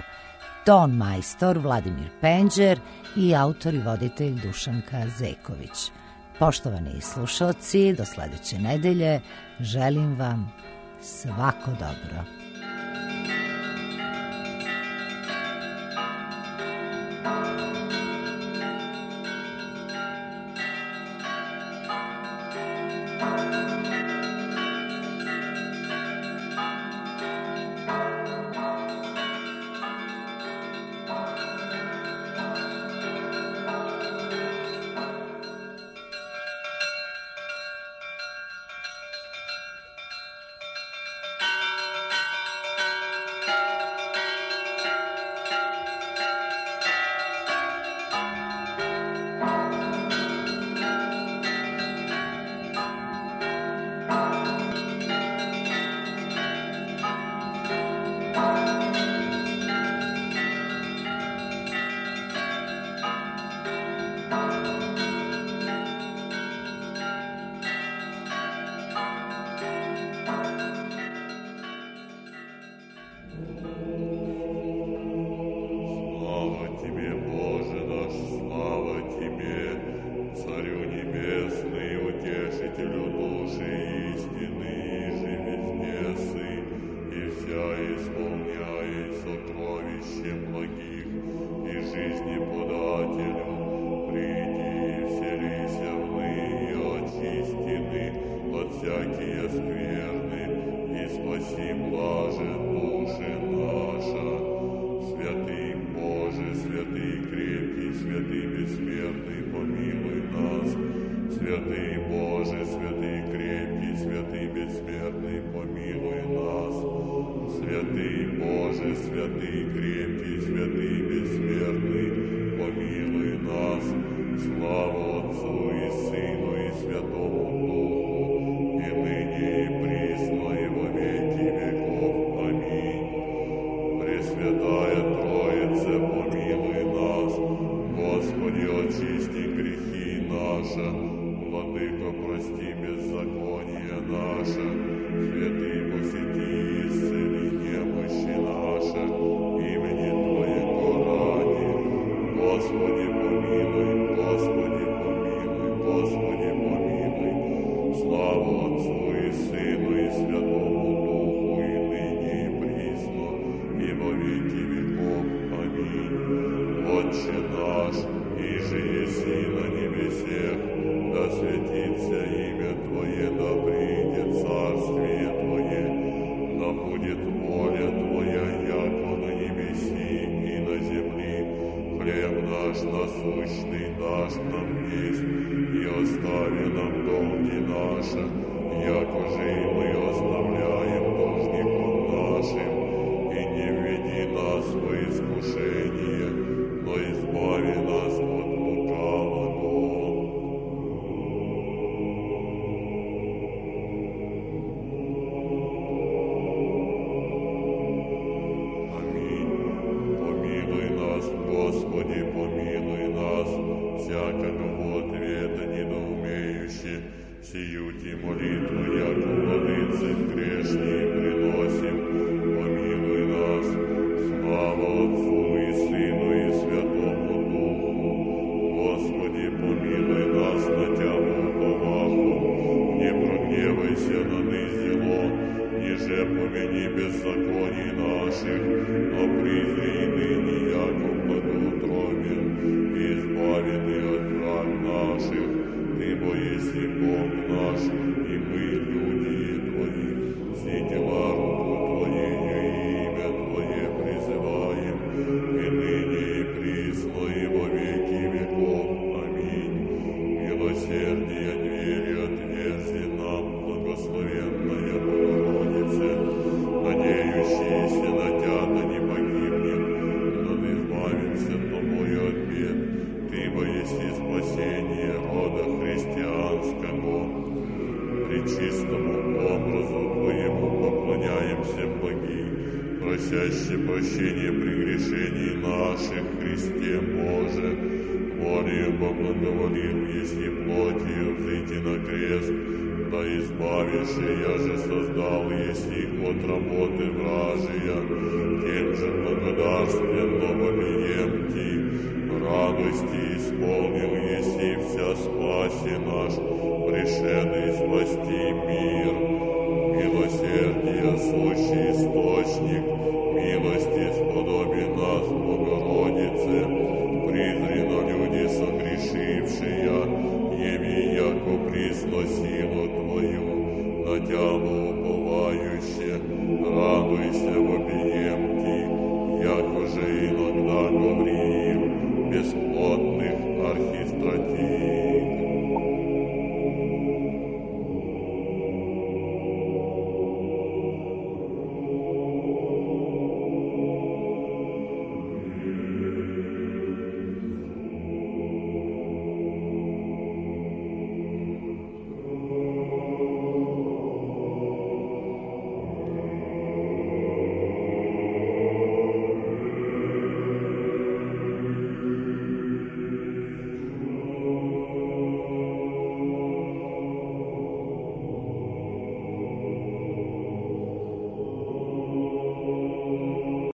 ton majstor Vladimir Penđer i autor i voditelj Dušanka Zeković. Poštovani slušalci, do sledeće nedelje želim vam svako dobro. Владыко, прости беззаконие наше, наш, иже еси на небесех, да святится имя Твое, да придет царствие Твое, да будет воля Твоя, яко на небеси и на земли. Хлеб наш насущный дашь нам есть, и остави нам долги наши, яко же и мы оставляем должником нашим, и не введи нас во искушение, но избави нас от лукавого. Аминь. Помилуй нас, Господи, помилуй нас, всякого ответа недоумеющий, сиюти молитву, яко владыцы грешные приносим. Помилуй нас, слава Отцу и Сыну и Святому Духу. Господи, помилуй нас на Тябу поваху, не прогневайся на низело, ниже помяни беззаконий наших, но призри и ныне, яко благоутробен, и избави Ты от враг наших. Ты бо еси Бог наш, и мы люди Твои, все дела руку Твоею и имя Твое призываем, и ныне и присно, и во веки веков. Аминь. Милосердие двери отверзи нам, благословенная Богородице, надеющиеся на Тя, да не погибнем, но да избавимся Тобою от бед. Ты бо еси спасение рода христианского. Пречистому образу Твоему поклоняемся, боги, просящие прощения прегрешений наших, Христе Боже, волею поблаговолим, если плотью взойти на крест, да избавишь, я же создал, если от работы вражия, тем же благодарственно вопием Ти, радости исполнил, если вся спаси наш, пришедший спасти мир. Милосердие, сущий источник, милости сподоби нас, Богородице, призри на люди согрешившие, яви, яко присно силу Твою, на Тябу